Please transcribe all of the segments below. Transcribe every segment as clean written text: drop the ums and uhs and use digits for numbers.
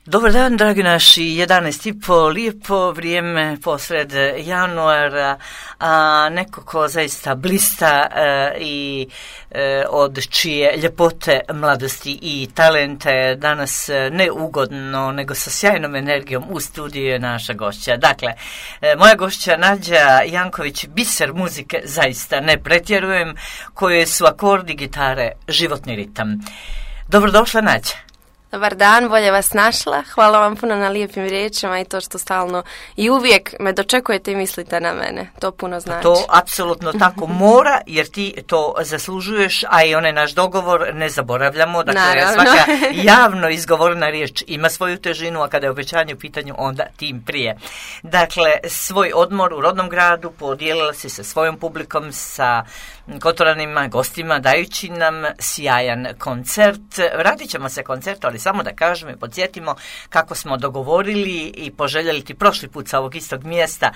Dobar dan, dragi naši, 11:30, lijepo vrijeme posred januara, a neko ko zaista blista i od čije ljepote, mladosti i talenta je danas ne ugodno, nego sa sjajnom energijom u studiju je naša gošća. Dakle, moja gošća Nađa Janković, biser muzike, zaista ne pretjerujem, koje su akordi gitare, životni ritam. Dobrodošla, Nađa. Dobar dan, bolje vas našla. Hvala vam puno na lijepim riječima i to što stalno i uvijek me dočekujete i mislite na mene. To puno znači. To apsolutno tako mora, jer ti to zaslužuješ, a i onaj naš dogovor ne zaboravljamo. Dakle, svaka javno izgovorena riječ ima svoju težinu, a kada je obećanje u pitanju, onda tim prije. Dakle, svoj odmor u rodnom gradu podijelila si sa svojom publikom, sa Kotoranima, gostima, dajući nam sjajan koncert. Vratit ćemo se koncertu, ali samo da kažemo i podsjetimo kako smo dogovorili i poželjeli ti prošli put sa ovog istog mjesta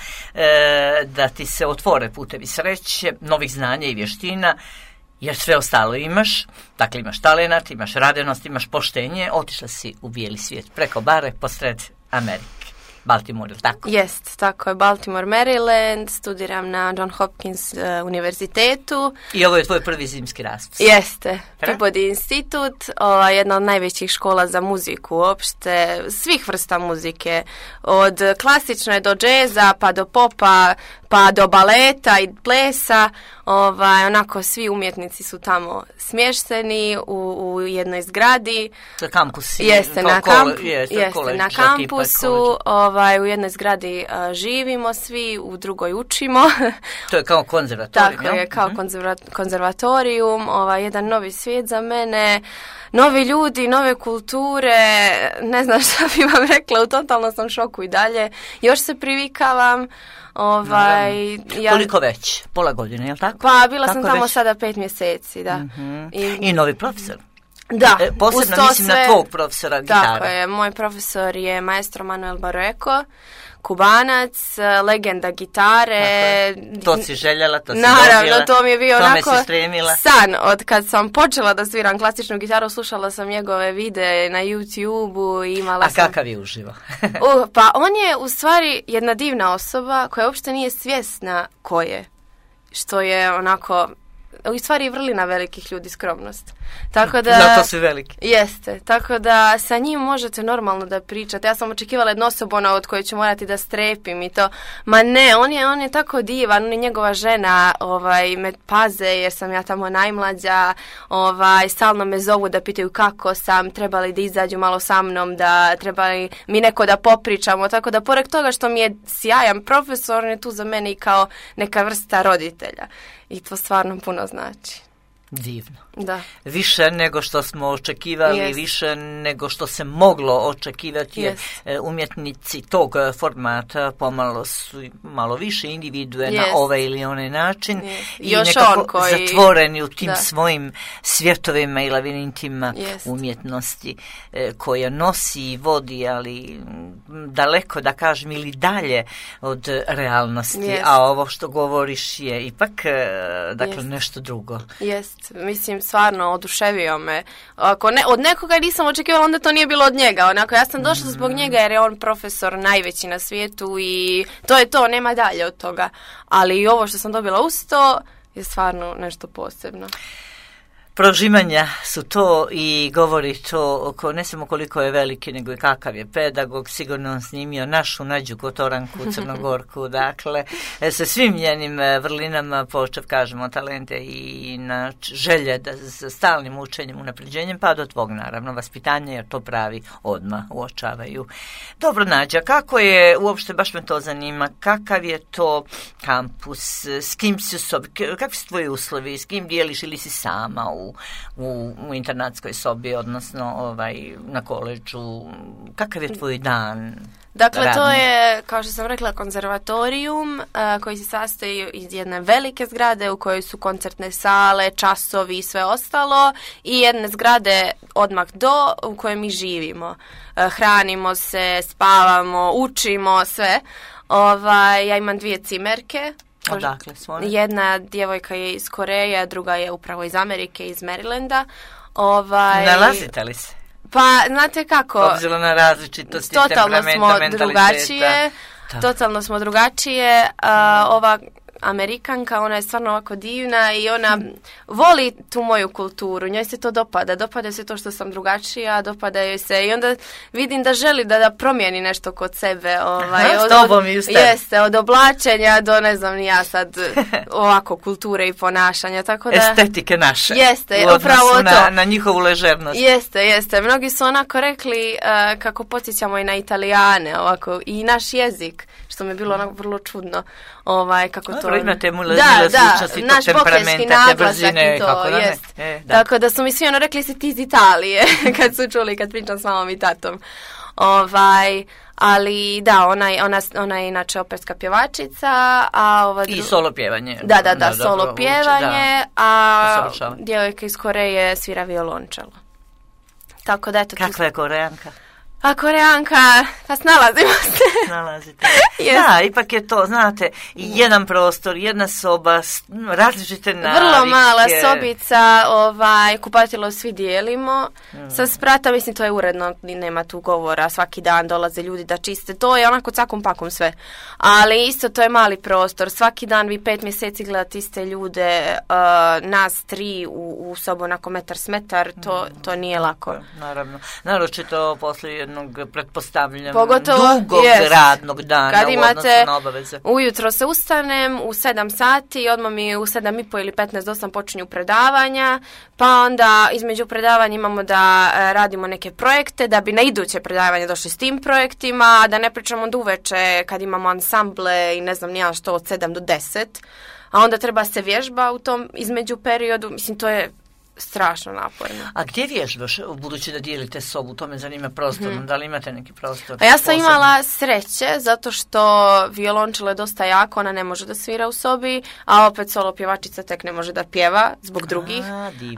da ti se otvore putevi sreće, novih znanja i vještina, jer sve ostalo imaš. Dakle, imaš talenat, imaš radenost, imaš poštenje. Otišla si u bijeli svijet preko bare posred Amerike. Baltimore, tako? Jest, tako je, Baltimore, Maryland, studiram na John Hopkins univerzitetu. I ovo je tvoj prvi zimski raspust. Jeste, Peabody institut, jedna od najvećih škola za muziku uopšte, svih vrsta muzike, od klasične do džeza, pa do popa, pa do baleta i plesa, onako svi umjetnici su tamo smješteni u jednoj zgradi. Kampus. Jeste, na kampusu, u jednoj zgradi živimo svi, u drugoj učimo. To je kao konzervatorijum. Tako je, kao konzervatorijum, jedan novi svijet za mene, novi ljudi, nove kulture, ne znam šta bi vam rekla, u totalnom sam šoku i dalje, još se privikavam. Koliko već? Pola godine, je li tako? Pa bila tako sam tamo već? Sada 5 mjeseci, da. Mm-hmm. I novi profesor? Da. Posebno mislim na tvog profesora gitare. Tako je, moj profesor je maestro Manuel Barreco, Kubanac, legenda gitare. To si željela, to si naravno, dobila. To mi je bio onako san. Od kad sam počela da sviram klasičnu gitaru, slušala sam njegove videe na YouTube-u i imala A kakav je uživo? Pa on je u stvari jedna divna osoba koja uopšte nije svjesna ko je. Što je onako u stvari vrlina velikih ljudi, skromnost. Tako da, zato su veliki. Jeste, tako da sa njim možete normalno da pričate. Ja sam očekivala jednu osobu od koje ću morati da strepim i to. Ma ne, on je tako divan, on je njegova žena, me paze jer sam ja tamo najmlađa, stalno me zovu da pitaju kako sam, trebali da izađu malo sa mnom, da trebali mi neko da popričamo, tako da pored toga što mi je sjajan profesor, on je tu za mene i kao neka vrsta roditelja. I to stvarno puno znači. Divno. Da. Više nego što smo očekivali, više nego što se moglo očekivati, jer umjetnici tog formata pomalo su malo više individue na ovaj ili onaj način i još nekako zatvoreni u tim svojim svjetovima i lavirintima umjetnosti koja nosi i vodi, ali daleko, da kažem, ili dalje od realnosti, a ovo što govoriš je ipak nešto drugo. Mislim, stvarno oduševio me. Ako od nekoga nisam očekivala, onda to nije bilo od njega. Onako, ja sam došla zbog njega jer je on profesor najveći na svijetu i to je to, nema dalje od toga. Ali i ovo što sam dobila uz to je stvarno nešto posebno. Prožimanja su to i govori to ne samo koliko je veliki, nego i kakav je pedagog. Sigurno on snimio našu Nađu Kotoranku, Crnogorku, dakle, sa svim njenim vrlinama, počev, kažemo, talente i na želje za stalnim učenjem, unapređenjem, pa do tvog, naravno, vaspitanja, jer to pravi odmah uočavaju. Dobro, Nađa, kako je, uopšte baš me to zanima, kakav je to kampus, s kim si sobi, kakvi su tvoji uslovi, s kim dijeliš ili si sama u internatskoj sobi, odnosno na koleđu, kakav je tvoj dan? Dakle, radni? To je, kao što sam rekla, konzervatorijum koji se sastoji iz jedne velike zgrade u kojoj su koncertne sale, časovi i sve ostalo i jedne zgrade odmah u kojoj mi živimo. Hranimo se, spavamo, učimo, sve. Ja imam 2 cimerke. Odakle su one? Jedna djevojka je iz Koreje, druga je upravo iz Amerike, iz Marylanda. Nalazite li se? Pa, znate kako? Obzirom na različitosti temperamenta, mentaliteta. Totalno smo drugačije. Ova Amerikanka, ona je stvarno ovako divna i ona voli tu moju kulturu, njoj se to dopada se to što sam drugačija, dopada joj se i onda vidim da želi da promijeni nešto kod sebe. S tobom i ustavi. Jeste, od oblačenja do ne znam ni ja sad ovako kulture i ponašanja, tako da... Estetike naše. Jeste, upravo to. Na njihovu ležernost. Jeste. Mnogi su onako rekli kako podsjećamo i na Italijane, ovako, i naš jezik, što mi je bilo onako vrlo čudno. Kako to... Imate zvučnosti tog temperamenta, te brzine. I to, jest. Tako da su mi svi rekli si ti iz Italije, kad su čuli, kad pričam s mamom i tatom. Ali da, ona je inače operska pjevačica, i solo pjevanje. Da, solo pjevanje, a djevojka iz Koreje svira violončelo. Tako da, eto... Kakva je Korejanka? A Korejanka, pa snalazimo se. Snalazite. Da, ipak je to, znate, jedan prostor, jedna soba, različite navike. Vrlo mala sobica, kupatilo svi dijelimo. Sa sprata, mislim, to je uredno, nema tu govora, svaki dan dolaze ljudi da čiste. To je onako cakom pakom sve. Ali isto to je mali prostor. Svaki dan vi 5 mjeseci gledate iste ljude, nas 3 u sobu onako metar s metar, to nije lako. Naravno. Naročito poslije jednog, pretpostavljam, pogotovo, dugog radnog dana kad u odnosu na obaveze. Ujutro se ustanem u 7 sati i odmah mi u 7:30 ili 15 do 8 počinju predavanja, pa onda između predavanja imamo da radimo neke projekte, da bi na iduće predavanje došli s tim projektima, da ne pričamo do uveče kad imamo ansamble i ne znam nija što od 7 do 10, a onda treba se vježba u tom između periodu, mislim to je strašno naporno. A gdje vježbaš, budući da dijelite sobu? To me zanima prostorno. Da li imate neki prostor? A ja sam imala sreće, zato što violončelo je dosta jako, ona ne može da svira u sobi, a opet solo pjevačica tek ne može da pjeva zbog drugih,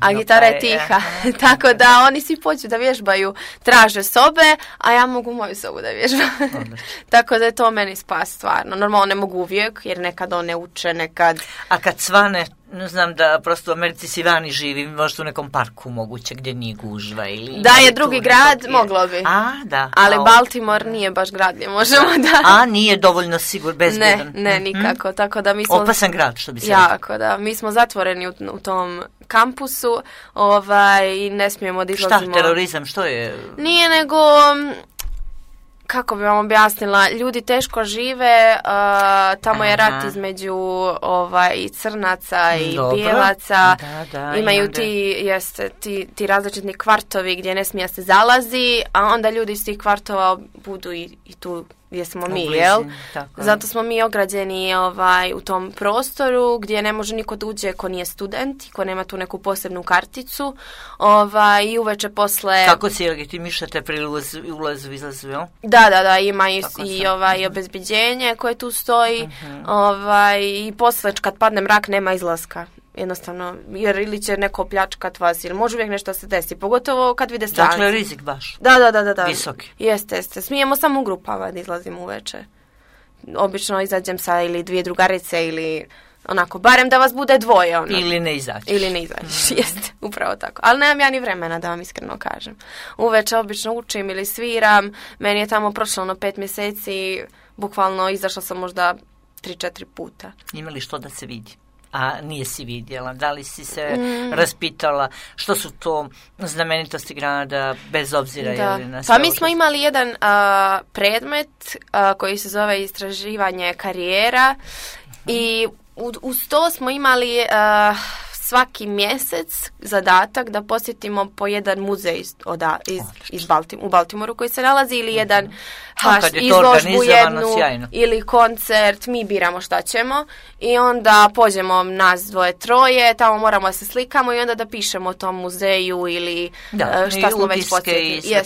a gitara je tiha. Tako da oni svi počnu da vježbaju, traže sobe, a ja mogu moju sobu da vježbam. Tako da je to meni spas stvarno. Normalno ne mogu uvijek, jer nekad one uče, nekad... A kad svane, znam da prosto u Americi si vani živi, možda u nekom parku moguće gdje nije gužva ili... Da je drugi grad, moglo bi. Da. Ali Baltimore nije baš grad gdje možemo da... A nije dovoljno bezbjedan? Ne, nikako. Tako da mi smo... Opasan grad, što bi se jako, da. Mi smo zatvoreni u tom kampusu i ne smijemo da izlazimo... Šta, terorizam, što je? Nije nego... Kako bi vam objasnila, ljudi teško žive, tamo je rat između i crnaca i bijelaca, imaju ti različitni kvartovi gdje ne smije se zalazi, a onda ljudi iz tih kvartova budu i tu gdje smo mi, jel? Zato smo mi ograđeni u tom prostoru gdje ne može niko da uđe ko nije student, ko nema tu neku posebnu karticu, i uveče posle... Kako si legitimišete pri ulazu, izlazu, jel? Da, ima i obezbeđenje koje tu stoji, i posle kad padne mrak nema izlaska. Jednostavno, jer ili će neko pljačkat vas, ili može uvijek nešto se desi, pogotovo kad vide stranci. Dakle, rizik baš. Da. Visoki. Jeste. Smijemo samo u grupama da izlazimo uveče. Obično izađem sa ili 2 drugarice ili onako, barem da vas bude 2. Ili ne izađeš. Jeste, upravo tako. Ali nemam ja ni vremena da vam iskreno kažem. Uveče obično učim ili sviram, meni je tamo prošlo 5 mjeseci, bukvalno izašla sam možda 3-4 puta. Ima li što da se vidi? A nije si vidjela? Da li si se raspitala što su to znamenitosti grada, bez obzira ili na sve? Pa mi smo imali jedan predmet koji se zove istraživanje karijera i uz to smo imali svaki mjesec zadatak da posjetimo po jedan muzej u Baltimoru koji se nalazi ili jedan izložbu jednu ili koncert, mi biramo šta ćemo i onda pođemo nas 2-3, tamo moramo da se slikamo i onda da pišemo o tom muzeju ili šta smo već posjetili.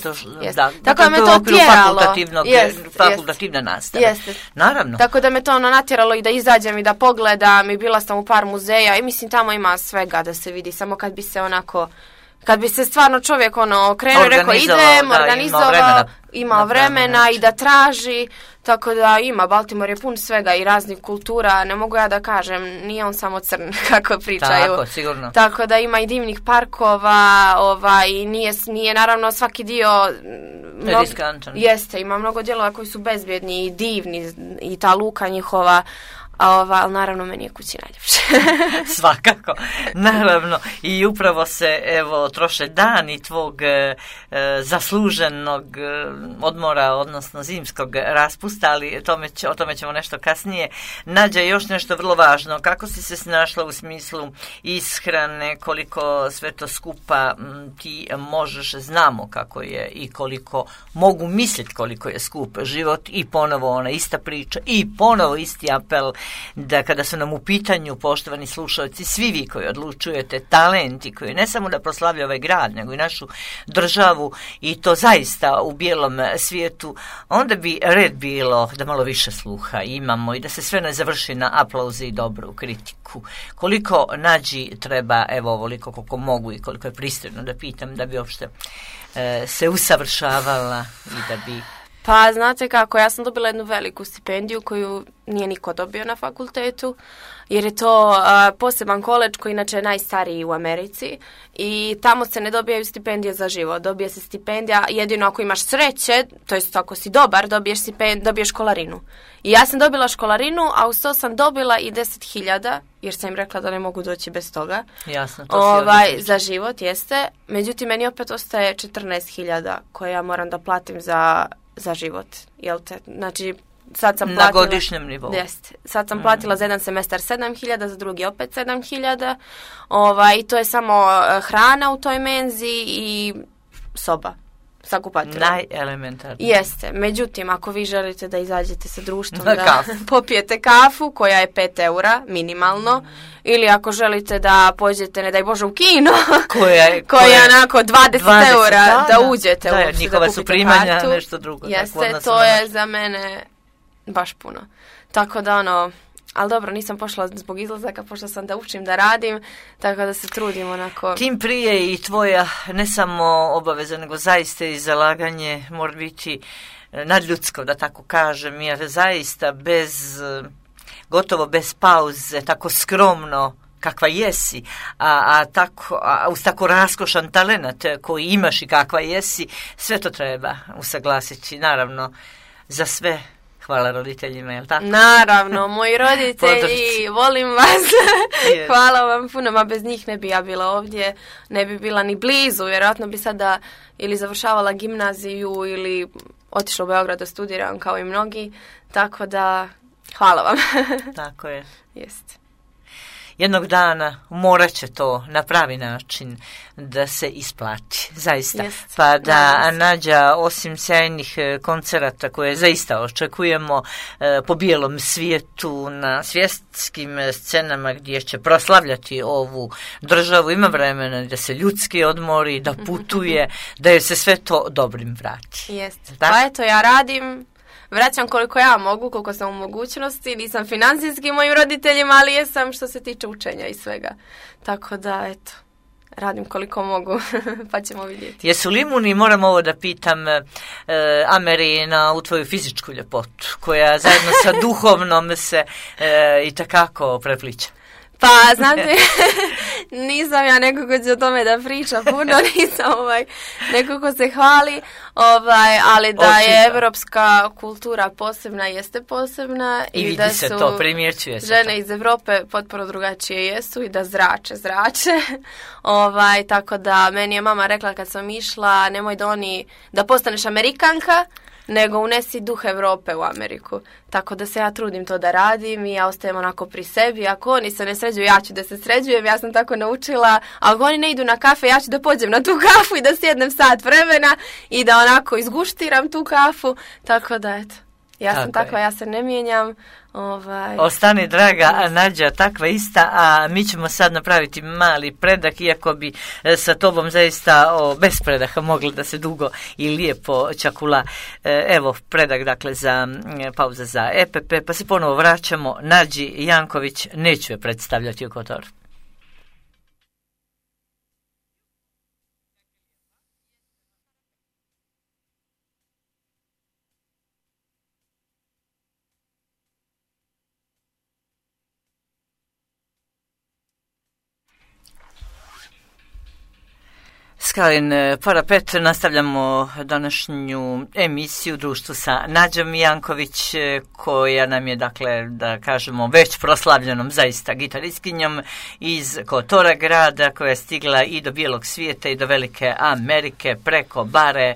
Tako da me to tjeralo. Fakultativna nastava. Naravno. Tako da me to natjeralo i da izađem i da pogledam i bila sam u par muzeja i mislim tamo ima svega da se vidi, samo kad bi se onako kad bi se stvarno čovjek krenuo i rekao idem, organizovao, ima vremena i da traži, tako da ima, Baltimore je pun svega i raznih kultura, ne mogu ja da kažem, nije on samo crn, kako pričaju. Tako, sigurno. Tako da ima i divnih parkova, nije naravno svaki dio riskantan. Jeste, ima mnogo dijelova koji su bezbjedni i divni i ta luka njihova. Ali naravno meni je kući najljepše. Svakako, naravno. I upravo se troše dani tvog zasluženog odmora, odnosno zimskog raspusta, ali o tome ćemo nešto kasnije. Nađa, još nešto vrlo važno. Kako si se snašla u smislu ishrane, koliko sve to skupa ti možeš, znamo kako je i koliko mogu misliti koliko je skup život i ponovo ona ista priča i ponovo isti apel da kada su nam u pitanju, poštovani slušalci, svi vi koji odlučujete, talenti koji ne samo da proslavljaju ovaj grad, nego i našu državu i to zaista u bijelom svijetu, onda bi red bilo da malo više sluha imamo i da se sve ne završi na aplauze i dobru kritiku. Koliko Nađi treba, ovoliko koliko mogu i koliko je pristojno da pitam, da bi uopšte se usavršavala i da bi... Pa, znate kako, ja sam dobila jednu veliku stipendiju koju nije niko dobio na fakultetu, jer je to poseban koledž koji inače je najstariji u Americi i tamo se ne dobijaju stipendije za život, dobije se stipendija jedino ako imaš sreće, to jest ako si dobar, dobiješ školarinu. I ja sam dobila školarinu, a uz to sam dobila i 10.000, jer sam im rekla da ne mogu doći bez toga. Jasno, to si za život, jeste. Međutim, meni opet ostaje 14.000 koje ja moram da platim za život, jel te? Znači, sad sam platila... Na godišnjem nivou. Jeste. Sad sam platila za jedan semestar 7.000, za drugi opet 7.000. I to je samo hrana u toj menzi i soba sa kupatilom. Najelementarnije. Jeste. Međutim, ako vi želite da izađete sa društvom, da popijete kafu, koja je 5 eura minimalno, ili ako želite da pođete, ne daj Bože, u kino, koja je onako 20 eura da uđete da, uopšte, njihova da su kupite primanja, kartu. nešto drugo. Jeste, to je za mene baš puno. Tako da ali dobro, nisam pošla zbog izlazaka, pošla sam da učim, da radim, tako da se trudim onako. Tim prije i tvoja ne samo obaveza, nego zaista i zalaganje mora biti nadljudsko, da tako kažem, jer zaista gotovo bez pauze, tako skromno kakva jesi, a uz tako raskošan talenat koji imaš i kakva jesi, sve to treba usaglasiti, naravno, za sve. Hvala roditeljima, je li tako? Naravno, moji roditelji, volim vas. Hvala vam puno, bez njih ne bi ja bila ovdje, ne bi bila ni blizu, vjerojatno bi sada ili završavala gimnaziju ili otišla u Beograd da studiram kao i mnogi, tako da hvala vam. Tako je. Jeste. Jednog dana morat će to na pravi način da se isplati, zaista. Yes. Pa da Nađa, osim sjajnih koncerata koje zaista očekujemo po bijelom svijetu, na svjetskim scenama gdje će proslavljati ovu državu, ima vremena da se ljudski odmori, da putuje, da joj se sve to dobrim vrati. Jeste. Pa eto, ja radim, vraćam koliko ja mogu, koliko sam u mogućnosti, nisam financijski mojim roditeljima, ali jesam što se tiče učenja i svega. Tako da, eto, radim koliko mogu, pa ćemo vidjeti. Jesu li imuni, moram ovo da pitam, Amerina, u tvoju fizičku ljepotu, koja zajedno sa duhovnom se itekako prepliče? Pa, znate, nisam ja neko ko će o tome da priča puno, nisam neko ko se hvali, ali da je evropska kultura posebna, jeste posebna. I vidi da se to, primjećuje se žene to. Iz Evrope potpuno drugačije jesu i da zrače. Tako da meni je mama rekla kad sam išla, nemoj da postaneš Amerikanka, nego unesi duh Evrope u Ameriku. Tako da se ja trudim to da radim i ja ostajem onako pri sebi. Ako oni se ne sređuju, ja ću da se sređujem, ja sam tako naučila. Ako oni ne idu na kafe, ja ću da pođem na tu kafu i da sjednem sat vremena i da onako izguštiram tu kafu. Tako da, eto, ja sam takva, ja se ne mijenjam. Ostani, draga Nađa, takva ista, a mi ćemo sad napraviti mali predah, iako bi sa tobom zaista bez predaha mogla da se dugo i lijepo čakula. Evo, predah, dakle, za pauza za EPP, pa se ponovo vraćamo. Nađi Janković, neću je predstavljati u Kotoru. Skalin Parapet, nastavljamo današnju emisiju u društvu sa Nađom Janković, koja nam je, dakle, da kažemo, već proslavljenom zaista gitaristkinjom iz Kotora grada, koja je stigla i do bijelog svijeta i do Velike Amerike preko bare.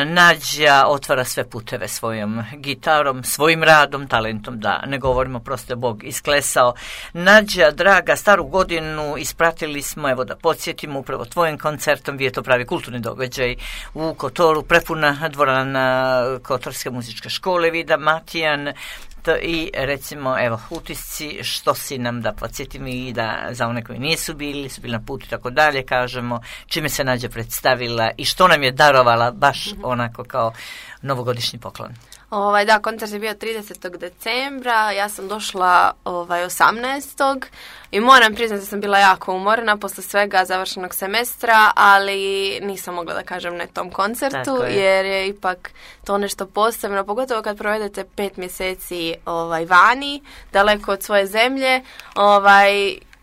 Nađa otvara sve puteve svojom gitarom, svojim radom, talentom, da ne govorimo, prosto je Bog isklesao. Nađa, draga, staru godinu ispratili smo, evo da podsjetimo, upravo tvojim koncertom, bio je to pravi kulturni događaj u Kotoru, prepuna dvorana Kotorske muzičke škole Vida Matijan. I recimo, evo, utisci, što si nam, da podsjetim i da za one koji nisu bili na putu i tako dalje, kažemo čime se Nađa predstavila i što nam je darovala baš onako kao novogodišnji poklon. Da, koncert je bio 30. decembra, ja sam došla 18. i moram priznati da sam bila jako umorna posle svega završenog semestra, ali nisam mogla da kažem ne tom koncertu, jer je ipak to nešto posebno, pogotovo kad provedete 5 mjeseci vani, daleko od svoje zemlje,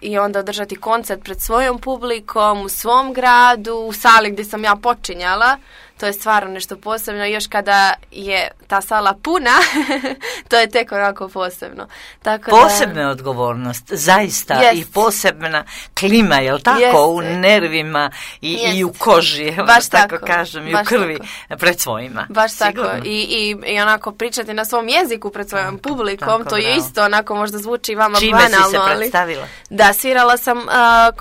i onda održati koncert pred svojom publikom, u svom gradu, u sali gdje sam ja počinjala. To je stvarno nešto posebno. Još kada je ta sala puna, to je tek onako posebno. Tako posebna je odgovornost, zaista, i posebna klima, jel tako, u nervima i u koži, baš tako kažem, i u krvi pred svojima. Baš sigurno. Tako. I onako pričati na svom jeziku pred svojom publikom, tako, to je isto onako možda zvuči vama čime banalno. Čime si se predstavila? Da, svirala sam,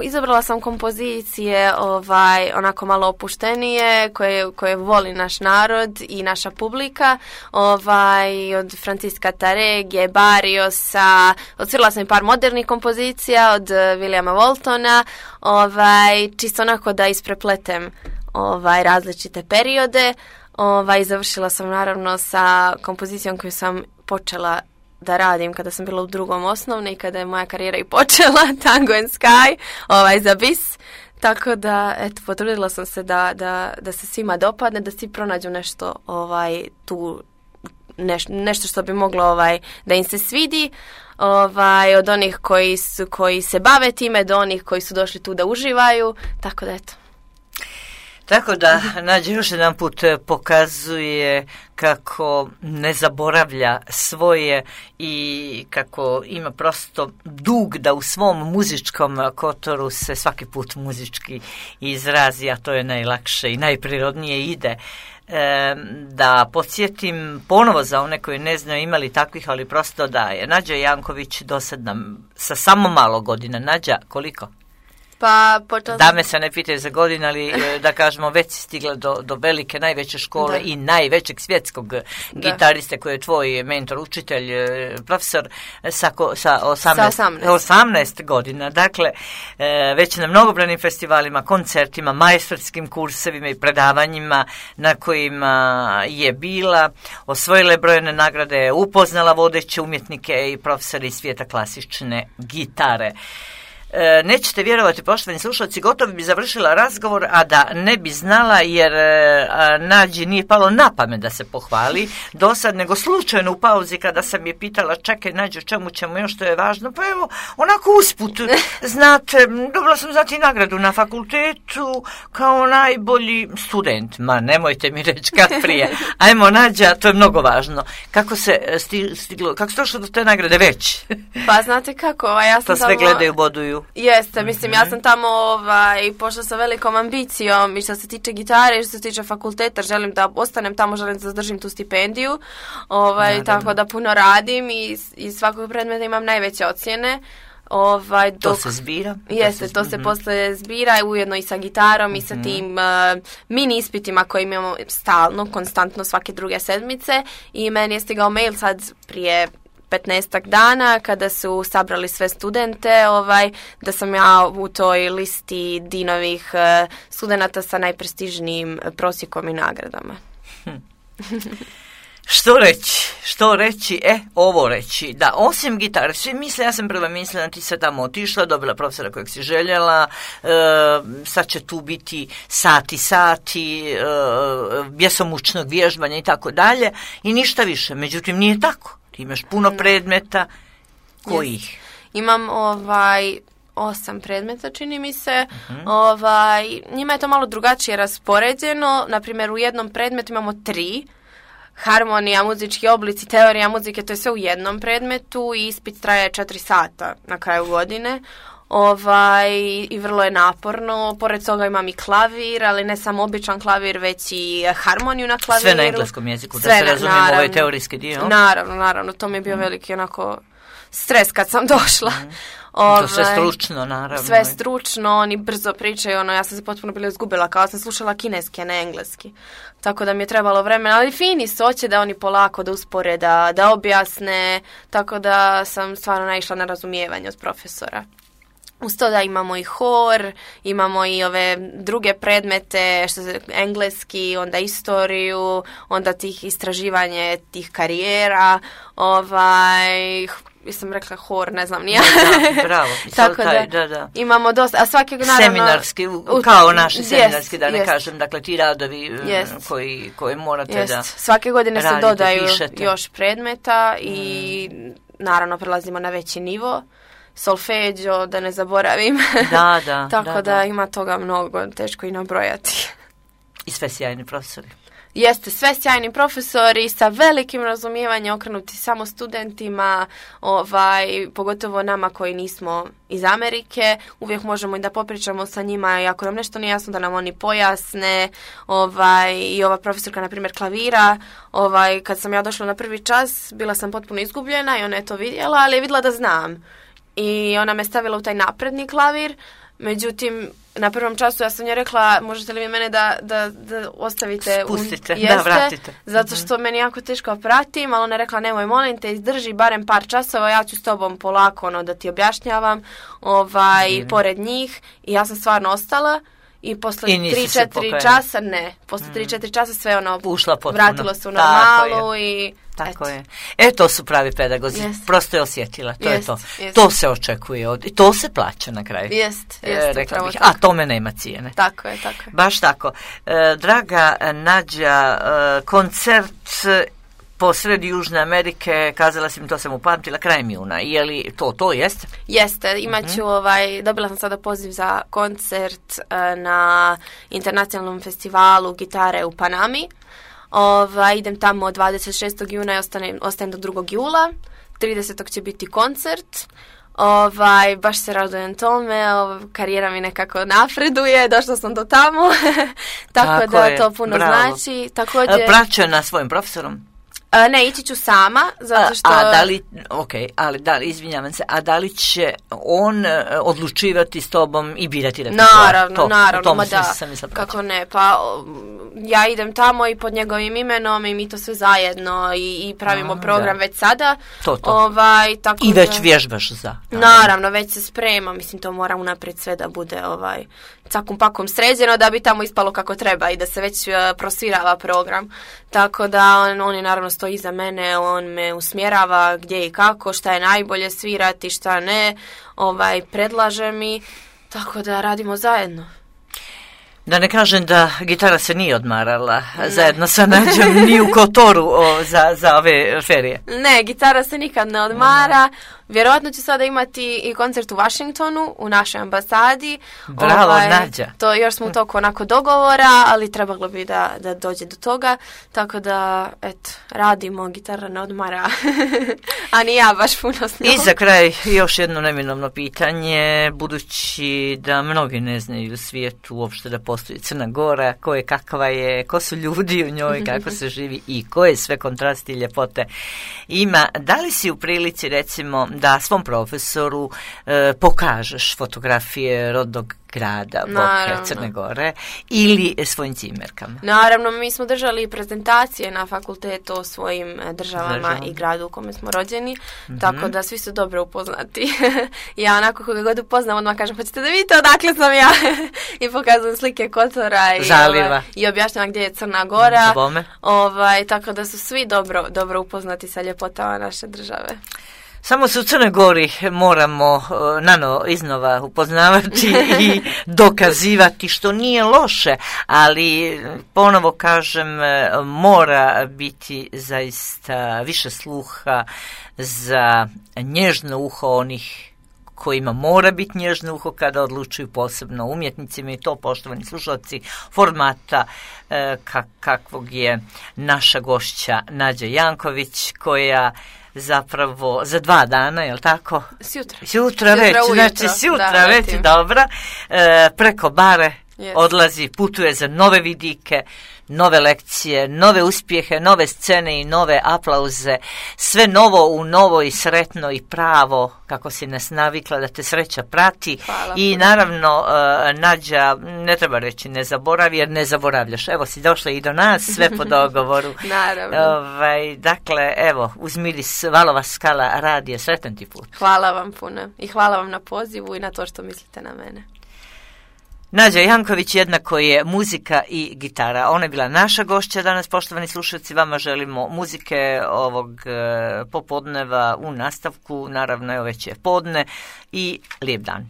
izabrala sam kompozicije onako malo opuštenije, koje voli naš narod i naša publika, od Francisca Tarege, Barriosa, odsvirala sam i par modernih kompozicija od Williama Waltona, čisto onako da isprepletem različite periode, i završila sam naravno sa kompozicijom koju sam počela da radim kada sam bila u 2. osnovne i kada je moja karijera i počela, Tango and Sky, za bis. Tako da, eto, potrudila sam se da se svima dopadne, da svi pronađu nešto tu, nešto što bi moglo da im se svidi, od onih koji se bave time do onih koji su došli tu da uživaju, tako da eto. Tako da Nađa još jedan put pokazuje kako ne zaboravlja svoje i kako ima prosto dug da u svom muzičkom Kotoru se svaki put muzički izrazi, a to je najlakše i najprirodnije ide. Da podsjetim ponovo za one koji ne znaju, imali takvih, ali prosto da je Nađa Janković dosadna sa samo malo godina. Nađa, koliko? Dame se ne pitaju za godinu, ali da kažemo već si stigla do velike, najveće škole i najvećeg svjetskog gitariste koji je tvoj mentor, učitelj, profesor sa 18 godina. Dakle, već na mnogobrojnim festivalima, koncertima, majstorskim kursevima i predavanjima na kojima je bila, osvojila je brojne nagrade, upoznala vodeće umjetnike i profesore iz svijeta klasične gitare. Nećete vjerovati, poštovani slušalci, gotovo bi završila razgovor, a da ne bi znala, jer Nađi nije palo na pamet da se pohvali dosad, nego slučajno u pauzi kada sam je pitala, čekaj Nađo, čemu ćemo još, što je važno, pa evo, onako usput, znate, dobila sam zati nagradu na fakultetu kao najbolji student. Ma nemojte mi reći kad prije. Ajmo Nađa, to je mnogo važno. Kako se stiglo, kako se došlo do te nagrade već? Pa znate kako, ja sam to sve gledaju, boduju. Jeste, mislim, ja sam tamo pošla sa velikom ambicijom i što se tiče gitare i što se tiče fakulteta, želim da ostanem tamo, želim da zadržim tu stipendiju, tako da puno radim i iz svakog predmeta imam najveće ocjene. To se zbira. Jeste, to se posle zbira, ujedno i sa gitarom i sa tim mini ispitima koje imamo stalno, konstantno svake druge sedmice, i meni je stigao mail sad prije 15 dana kada su sabrali sve studente, da sam ja u toj listi dinovih studenata sa najprestižnijim prosjekom i nagradama. Što reći? Ovo reći. Da, osim gitare, svi misle, ja sam prva mislila, ti se tamo otišla, dobila profesora kojeg si željela, sad će tu biti sati, bjesomučnog vježbanja i tako dalje, i ništa više. Međutim, nije tako. Ti imaš puno predmeta. Kojih? Imam 8 predmeta, čini mi se. Njima je to malo drugačije raspoređeno. Naprimjer, u jednom predmetu imamo 3. Harmonija, muzički oblici, teorija muzike, to je sve u jednom predmetu i ispit traje 4 sata na kraju godine. I vrlo je naporno. Pored toga imam i klavir, ali ne samo običan klavir, već i harmoniju na klaviru. Sve na engleskom jeziku, da se razumijemo, ovaj teorijski dio. Naravno, to mi je bio veliki onako stres kad sam došla. To sve stručno, naravno. Sve stručno, oni brzo pričaju, ja sam se potpuno bila izgubila, kao sam slušala kineski, a ne engleski. Tako da mi je trebalo vremena, ali fini su, hoće da oni polako da uspore, da objasne, tako da sam stvarno naišla na razumijevanje od profesora. Uz to da imamo i hor, imamo i ove druge predmete, engleski, onda istoriju, onda tih istraživanje tih karijera, sam rekla hor, ne znam nije. Da, bravo. Tako da, imamo dosta, a svake naravno... Seminarski, kao naši seminarski, da ne kažem, dakle ti radovi koji morate da svake godine se dodaju još predmeta i naravno prelazimo na veći nivo. Solfeđo, da ne zaboravim. Da. Tako da ima toga mnogo, teško i nabrojati. I sve sjajni profesori. Jeste, sve sjajni profesori sa velikim razumijevanjem, okrenuti samo studentima, pogotovo nama koji nismo iz Amerike. Uvijek možemo i da popričamo sa njima i ako nam nešto nije jasno da nam oni pojasne. I ova profesorka, na primjer, klavira, kad sam ja došla na prvi čas, bila sam potpuno izgubljena i ona je to vidjela, ali je vidjela da znam. I ona me stavila u taj napredni klavir, međutim, na prvom času ja sam njoj rekla, možete li vi mene da ostavite... Spustite, da vratite. Zato što meni jako teško pratim, ali ona je rekla, nemoj, molim te, izdrži barem par časova, ja ću s tobom polako da ti objašnjavam, pored njih. I ja sam stvarno ostala. I posle 3-4 časa, posle 3-4 časa sve vratilo se u normalu i... Tako je. To su pravi pedagozi. Prosto je osjetila. To je to. Jest. To se očekuje i to se plaća na kraju. Rekla bih. A tome nema cijene. Tako je. Baš tako. Draga Nađa, koncert po sredi Južne Amerike, kazala si mi, to sam upamtila, krajem juna. Je li to jeste? Jeste, imat ću, dobila sam sada poziv za koncert na internacionalnom festivalu gitare u Panami. Idem tamo od 26. juna i ostajem do 2. jula. 30. će biti koncert. Baš se radujem tome, karijera mi nekako napreduje, došla sam do tamo. Tako da to puno znači. Također... Praćuje na svojim profesorom? Ne, ići ću sama, zato što... Izvinjavam se, a da li će on odlučivati s tobom i birati repertoar? Naravno, kako ne, pa ja idem tamo i pod njegovim imenom i mi to sve zajedno i pravimo program već sada. Tako i već vježbaš za. Naravno, već se sprema, mislim to mora unaprijed sve da bude cakum pakom sređeno da bi tamo ispalo kako treba i da se već prosvirava program. Tako da on je naravno stoji iza mene, on me usmjerava gdje i kako, šta je najbolje svirati, šta ne, predlaže mi, tako da radimo zajedno. Da ne kažem da gitara se nije odmarala zajedno sa Nađom ni u Kotoru za ove ferije. Ne, gitara se nikad ne odmara. Vjerojatno ću sada imati i koncert u Washingtonu, u našoj ambasadi. Bravo, Nađa. To još smo u toku onako dogovora, ali trebalo bi da dođe do toga. Tako da, radimo, gitara ne odmara. A ni ja baš puno s njom. I za kraj još jedno neminovno pitanje, budući da mnogi ne znaju u svijetu uopšte da postoji Crna Gora, kakva je, ko su ljudi u njoj, kako se živi i koje sve kontrasti i ljepote ima. Da li si u prilici, recimo, da svom profesoru pokažeš fotografije rodnog grada, Boke, Crne Gore ili svojim cimerkama? Naravno, mi smo držali prezentacije na fakultetu o svojim državama i gradu u kome smo rođeni, tako da svi su dobro upoznati. Ja onako koga god upoznam, odmah kažem, hoćete da vidite odakle sam ja? I pokazujem slike Kotora i objašnjam gdje je Crna Gora. Tako da su svi dobro upoznati sa ljepotama naše države. Samo se u Crnoj Gori moramo iznova upoznavati i dokazivati, što nije loše, ali ponovo kažem, mora biti zaista više sluha za nježno uho onih kojima mora biti nježno uho kada odlučuju, posebno umjetnicima, i to, poštovani slušalci, formata kakvog je naša gošća Nađa Janković, koja zapravo za 2 dana, je li tako? Sutra već, znači sutra već, dobra, preko bare odlazi, putuje za nove vidike, nove lekcije, nove uspjehe, nove scene i nove aplauze, sve novo u novo i sretno i pravo, kako si nas navikla da te sreća prati. I naravno, Nađa, ne treba reći ne zaboravi, jer ne zaboravljaš. Evo si došla i do nas, sve po dogovoru. Naravno. Dakle, evo, uz miris Valova skala radije, sretan ti put. Hvala vam puno i hvala vam na pozivu i na to što mislite na mene. Nađa Janković jednako je muzika i gitara. Ona je bila naša gošća danas, poštovani slušalci. Vama želimo muzike ovog popodneva u nastavku. Naravno, evo već je podne i lijep dan.